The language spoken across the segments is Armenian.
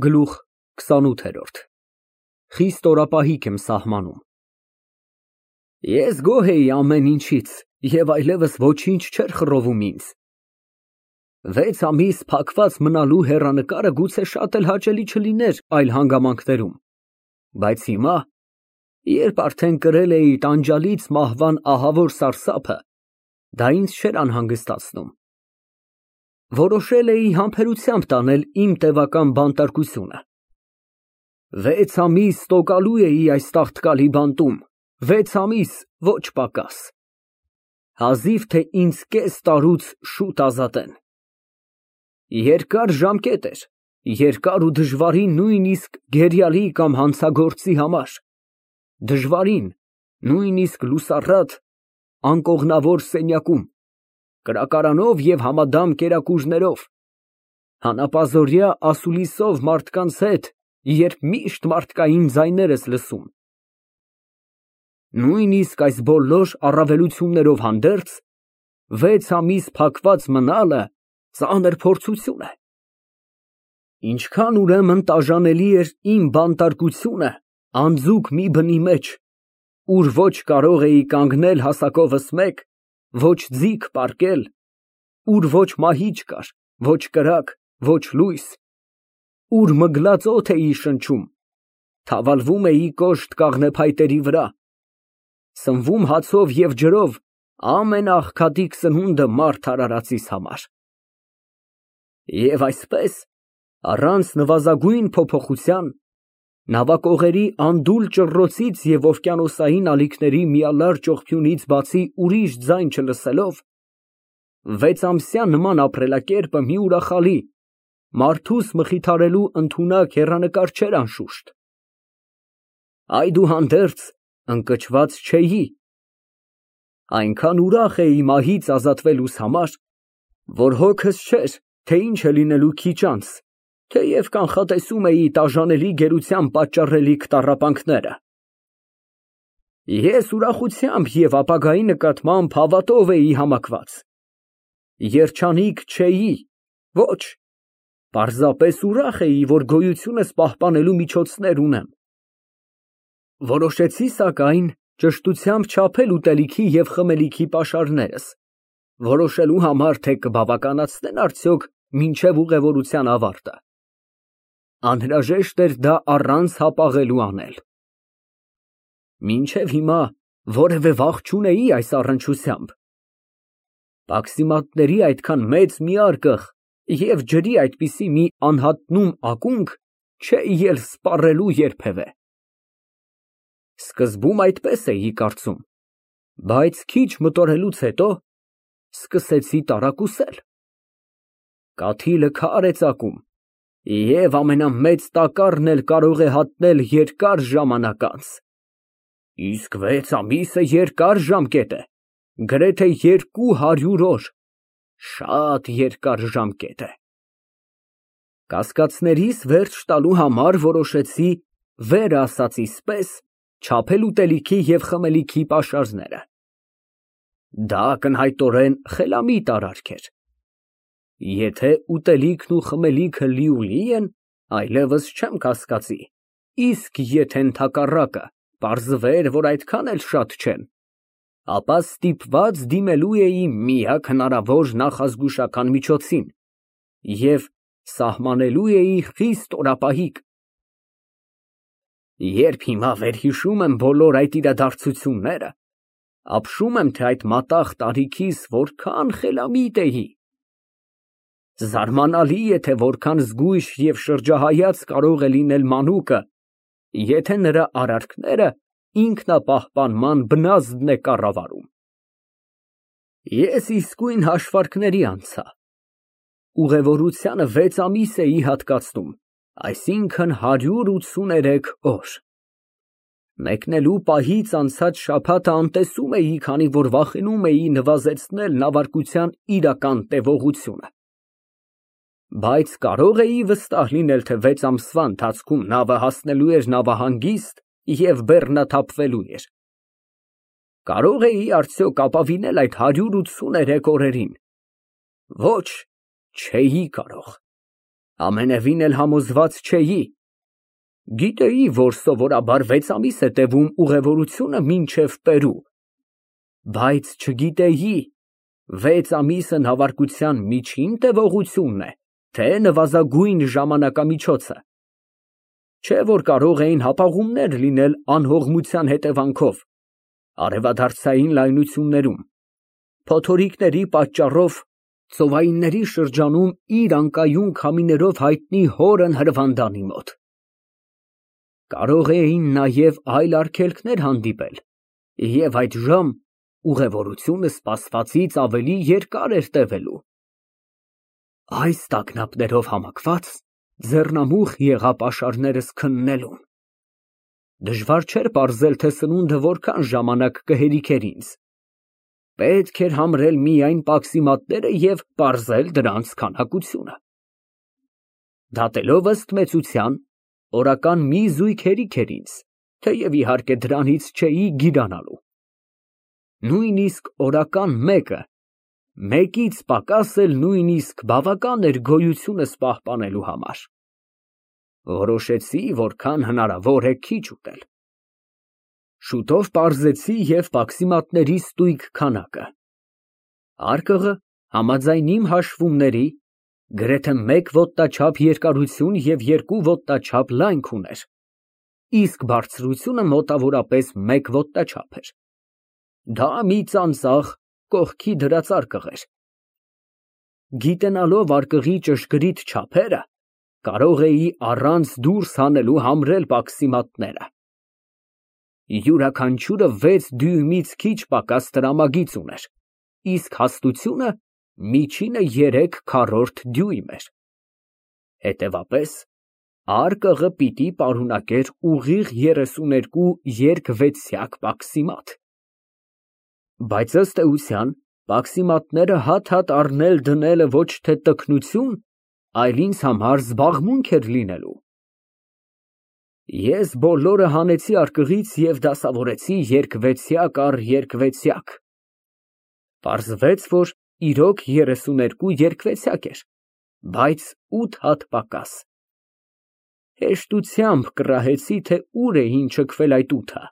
Գլուխ 28 Խիստ օրապահիկ եմ սահմանում։ Ես գոհ էի ամեն ինչից և այլևս ոչինչ չէր խռովում ինձ։ 6 ամիս փակված մնալու հեռանկարը գուցե շատ էլ հաճելի չլիներ այլ հանգամանքներում, բայց հիմա, երբ արդեն կրել էի տանջալից մահվան ահավոր սարսափը, դա ինձ չէր անհանգստացնում։ Որոշել էի համբերությամբ տանել իմ տևական բանտարկությունը։ 6 ամիս տոկալու էի այս տաղտկալի բանտում, 6 ամիս, ոչ պակաս։ Հազիվ թե ինձ կես տարուց շուտ ազատեն։ Երկար ժամկետ էր, երկար ու դժվարին նույնիսկ գերիալի կամ հանցագործի համար, դժվարին, նույնիսկ լուսառատ, անկողնավոր սենյակում, կրակարանով և համադամ կերակուրներով, հանապազօրյա ասուլիսով մարդկանց հետ, երբ միշտ մարդկային ձայներ ես լսում։ Նույնիսկ այս բոլոր առավելություններով հանդերձ, 6 ամիս փակված մնալը ծանր փորձություն է։ Ինչքան ուրեմն տաժանելի էր իմ բանտարկությունը անձուկ մի բնի մեջ, ուր ոչ կարող էի կանգնել հասակովս մեկ, ոչ ձիգ պառկել, ուր ոչ մահիճ կար, ոչ կրակ, ոչ լույս, ուր մգլած օդ էի շնչում, թավալվում էի կոշտ կաղնեփայտերի վրա, սնվում հացով և ջրով ամենաաղքատիկ սնունդը մարդ արարածիս համար։ Եվ այսպես, առանց նվազագույն փոփոխության, նավակողերի անդուլ ճռռոցից և օվկիանոսային ալիքների միալար ճողփյունից բացի ուրիշ ձայն չլսելով, 6 ամսյա նման ապրելակերպը մի ուրախալի, մարդուս մխիթարելու ընդունակ հեռանկար չէր անշուշտ։ Այդուհանդերձ ընկճված չէի։ Այնքան ուրախ էի մահից ազատվելուս համար, որ հոգս չէր, թե ինչ է լինելու քիչ անց, թեև կանխատեսում էի տաժանելի գերության պատճառելիք տառապանքները։ Ես ուրախությամբ և ապագայի նկատմամբ հավատով էի համակված։ Երջանիկ չէի, ոչ, պարզապես ուրախ էի, որ գոյությունս պահպանելու միջոցներ ունեմ։ Որոշեցի, սակայն, ճշտությամբ չափել ուտելիքի և խմելիքի պաշարներս, որոշելու համար, թե կբավականացնեն արդյոք մինչև ուղևորության ավարտը։ Անհրաժեշտ էր դա առանց հապաղելու անել։ Մինչև հիմա որևէ վախ չունեի այս առնչությամբ։ Պաքսիմատների այդքան մեծ մի արկղ և ջրի այդպիսի մի անհատնում ակունք չէի էլ սպառելու երբևէ։ Սկզբում այդպես էի կարծում, բայց քիչ մտորելուց հետո սկսեցի տարակուսել։ Կաթիլը քար է ծակում, և ամենամեծ տակառն էլ կարող է հատնել երկար ժամանակ անց։ Իսկ 6 ամիսը երկար ժամկետ է, գրեթե 200 օր, շատ երկար ժամկետ է։ Կասկածներիս վերջ տալու համար որոշեցի, վերը ասածիս պես, չափել ուտելիքի և խմելիքի պաշարները։ Դա ակնհայտորեն խելամիտ արարք էր։ Եթե ուտելիքն ու խմելիքը լիուլի են, այլևս չեմ կասկածի, իսկ եթե ընդհակառակը, պարզվեր, որ այդքան էլ շատ չեն, ապա ստիպված դիմելու էի միակ հնարավոր նախազգուշական միջոցին և սահմանելու էի խիստ օրապահիկ։ Երբ հիմա վերհիշում եմ բոլոր այդ իրադարձությունները, ապշում եմ, թե այդ մատաղ տարիքիս որքան խելամիտ էի։ Զարմանալի է, թե որքան զգույշ և շրջահայաց կարող է լինել մանուկը, եթե նրա արարքները ինքնապահպանման բնազդն է կառավարում։ Ես իսկույն հաշվարկների անցա։ Ուղևորությանը 6 ամիս էի հատկացնում, այսինքն 183 օր։ Մեկնելու պահից անցած շաբաթը անտեսում էի, քանի որ վախենում էի նվազեցնել նավարկության իրական տևողությունը։ Բայց կարող էի վստահ լինել, թե 6 ամսվա ընթացքում նավը հասնելու էր նավահանգիստ և բեռնաթափվելու էր։ Կարո՞ղ էի արդյոք ապավինել այդ 183 օրերին։ Ոչ, չէի կարող։ Ամենևին էլ համոզված չէի։ Գիտեի, որ սովորաբար 6 ամիս է տևում ուղևորությունը մինչև Պերու, բայց չգիտեի 6 ամիսը նավարկության միջին տևողությունն է, թե նվազագույն ժամանակամիջոցը։ Չէ որ կարող էին հապաղումներ լինել անհողմության հետևանքով, արևադարձային լայնություններում, փոթորիկների պատճառով ծովայինների շրջանում իր անկայուն քամիներով հայտնի հորն հրվանդանի մոտ։ Կարող էին նաև այլ արգելքներ հանդիպել, և այդժամ ուղևորությունը սպասվածից ավելի երկար էր տևելու։ Այս տագնապներով համակված ձեռնամուխ եղա պաշարներս քննելուն։ Դժվար չէր պարզել, թե սնունդը որքան ժամանակ կհերիքեր ինձ։ Պետք էր համրել միայն պաքսիմատները և պարզել դրանց քանակությունը։ Դատելով ըստ մեծության, օրական մի զույգ հերիք էր ինձ, թեև իհարկե դրանից չէի գիրանալու։ Նույնիսկ օրական մեկից պակաս էլ նույնիսկ բավական էր գոյությունս պահպանելու համար։ Որոշեցի, որքան հնարավոր է քիչ ուտել։ Շուտով պարզեցի և պաքսիմատների ստույգ քանակը։ Արկղը համաձայն իմ հաշվումների գրեթե 1 ոտնաչափ երկարություն և 2 ոտնաչափ լայնք ուներ, իսկ բարձրությունը մոտավորապես 1 ոտնաչափ էր։ Դա մի ծանծաղ, կողքի դրած արկղ էր։ Գիտենալով արկղի ճշգրիտ չափերը, կարող էի առանց դուրս հանելու համրել պաքսիմատները։ Յուրաքանչյուրը 6 դյույմից քիչ պակաս տրամագիծ ուներ, իսկ հաստությունը միջինը 3/4 դյույմ էր։ Հետևաբար, արկղը պիտի պարունակեր ուղիղ 32 երկվեցյակ պաքսիմատ։ Բայց ըստ էության, պաքսիմատները հատ-հատ առնել դնելը ոչ թե տգնություն, այլ ինձ համար զբաղմունք էր լինելու։ Ես բոլորը հանեցի արկղից և դասավորեցի երկվեցյակ առ երկվեցյակ։ Պարզվեց, որ իրոք 32 երկվեցյակ էր, բայց 8 հատ պակաս։ Հեշտությամբ կռահեցի, թե ուր է չքվել այդ 8-ը։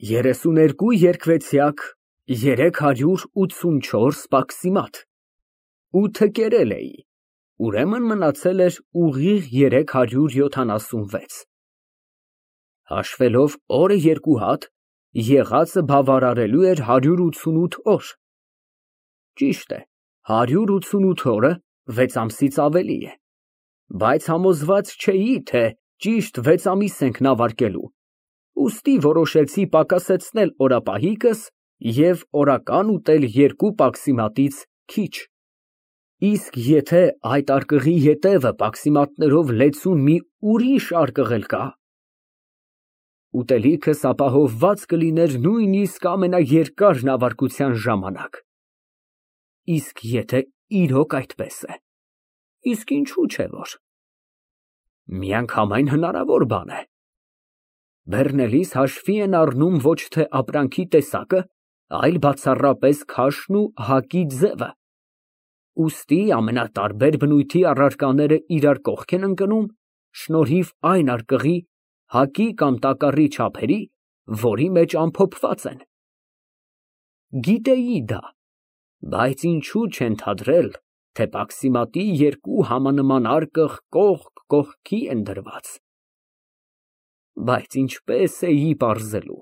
32 երկվեցյակ, 384 պաքսիմատ։ 8-ը կերել էի, ուրեմն մնացել էր ուղիղ 376։ Հաշվելով օրը 2 հատ, եղածը բավարարելու էր 188 օր։ Ճիշտ է, 188 օրը 6 ամսից ավելի է, բայց համոզված չէի, թե ճիշտ 6 ամիս ենք նավարկելու, ուստի որոշեցի պակասեցնել օրապահիկս և օրական ուտել 2 պաքսիմատից քիչ։ Իսկ եթե այդ արկղի ետևը պաքսիմատներով լեցուն մի ուրիշ արկղ էլ կա։ Ուտելիքս ապահովված կլիներ նույնիսկ ամենաերկար նավարկության ժամանակ։ Իսկ եթե իրոք այդպես է, իսկ ինչու՞ չէ որ։ Միանգամայն հնարավոր բան է։ Բեռնելիս հաշվի են առնում ոչ թե ապրանքի տեսակը, այլ բացառապես քաշն ու հակի ձևը։ Ուստի ամենատարբեր բնույթի առարկաները իրար կողք են ընկնում շնորհիվ այն արկղի, հակի կամ տակառի չափերի, որի մեջ ամփոփված են։ Գիտեի դա, բայց ինչու չենթադրել, թե պաքսիմատի 2 համանման արկղ կողք կողքի են դրված։ Բայց ինչպես էի պարզելու։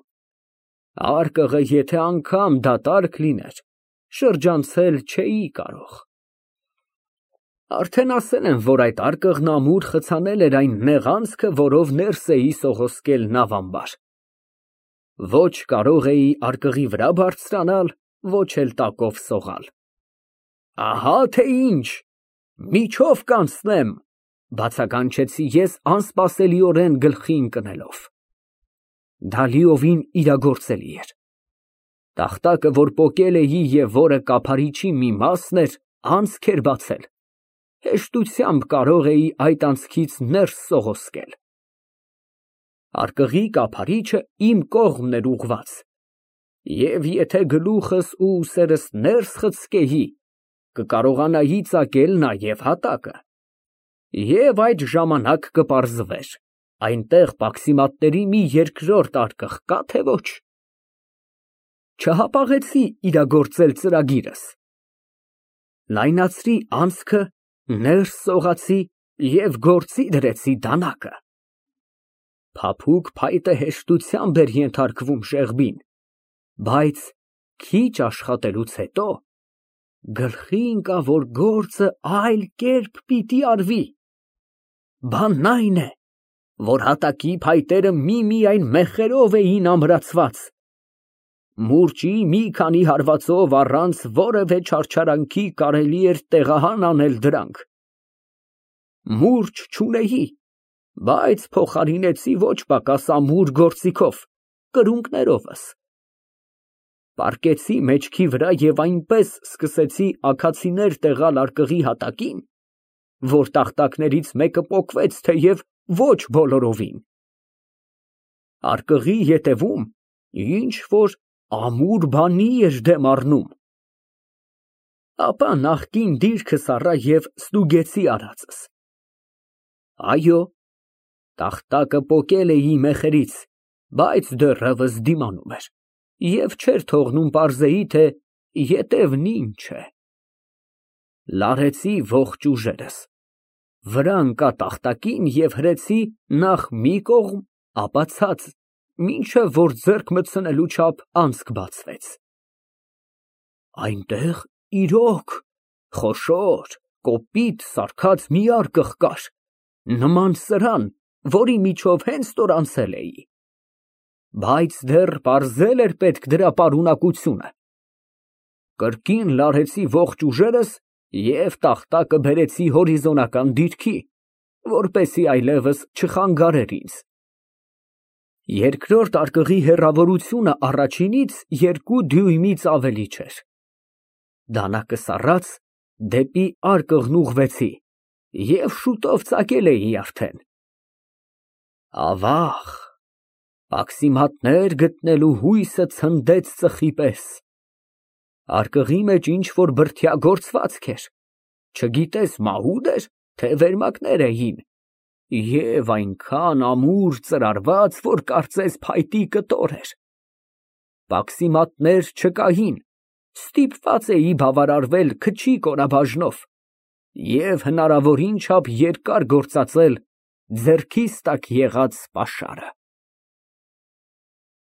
Արկղը եթե անգամ դատարկ լիներ, շրջանցել չէի կարող։ Արդեն ասել եմ, որ այդ արկղն ամուր խցանել էր այն նեղ անցքը, որով ներս էի սողոսկել նավամբար։ Ոչ կարող էի արկղի վրա բարձրանալ, ոչ էլ տակով սողալ։ Ահա թե ինչ, միջով կանցնեմ, բացականչեցի ես անսպասելիորեն գլխի ընկնելով։ Դա լիովին իրագործելի էր։ Տախտակը, որ պոկել էի և որը կափարիչի մի մասն էր, անցք էր բացել, հեշտությամբ կարող էի այդ անցքից ներս սողոսկել։ Արկղի կափարիչը իմ կողմն էր ուղղված, և եթե գլուխս ու ուսերս ներս խցկեի, կկարողանայի ծակել նաև հատակը։ Եվ այդ ժամանակ կպարզվեր, այնտեղ պաքսիմատների մի երկրորդ արկղ կա, թե ոչ։ Չհապաղեցի իրագործել ծրագիրս։ Լայնացրի անցքը, ներս սողացի և գործի դրեցի դանակը։ Փափուկ փայտը հեշտությամբ էր ենթարկվում շեղբին, բայց քիչ աշխատելուց հետո գլխի ընկավ, որ գործը այլ կերպ պիտի արվի։ Բանն այն է, որ հատակի փայտերը միմիայն մեխերով էին ամրացված, մուրճի մի քանի հարվածով առանց որևէ չարչարանքի կարելի էր տեղահան անել դրանք։ Մուրճ չունեի, բայց փոխարինեցի ոչ պակաս ամուր գործիքով, կրունկներովս։ Պառկեցի մեջքի վրա և այնպես սկսեցի աքացիներ տեղալ արկղի հատակին, որ տախտակներից մեկը պոկվեց, թեև ոչ բոլորովին։ Արկղի ետևում ինչ֊որ ամուր բանի էր դեմ առնում։ Ապա նախկին դիրքս առա և ստուգեցի արածս։ Այո, տախտակը պոկել էի մեխերից, բայց դեռևս դիմանում էր և չէր թողնում պարզեի, թե ետևն ինչ է։ Լարեցի ողջ ուժերս, վրա ընկա տախտակին և հրեցի նախ մի կողմ, ապա ցած, մինչև որ ձեռք մտցնելու չափ անցք բացվեց։ Այնտեղ իրոք խոշոր, կոպիտ սարքած մի արկղ կար, նման սրան, որի միջով հենց որ անցել էի, բայց դեռ պարզել էր պետք դրա պարունակությունը։ Կրկին լարեցի ողջ ուժերս և տախտակը բերեցի հորիզոնական դիրքի, որպեսզի այլևս չխանգարեր ինձ։ Երկրորդ արկղի հեռավորությունը առաջինից 2 դյույմից ավելի չէր։ Դանակս առած դեպի արկղն ուղղվեցի և շուտով ծակել էի արդեն։ Ավաղ, պաքսիմատներ գտնելու հույսը ցնդեց ծխի պես։ Արկղի մեջ ինչ֊որ բրդյա գործվածք էր, չգիտես մահու՞դ էր, թե վերմակներ էին, և այնքան ամուր ծրարված, որ կարծես փայտի կտոր էր։ Պաքսիմատներ չկային, ստիպված էի բավարարվել քչի կորաբաժնով և հնարավորին չափ երկար գործածել ձեռքիս տակ եղած պաշարը։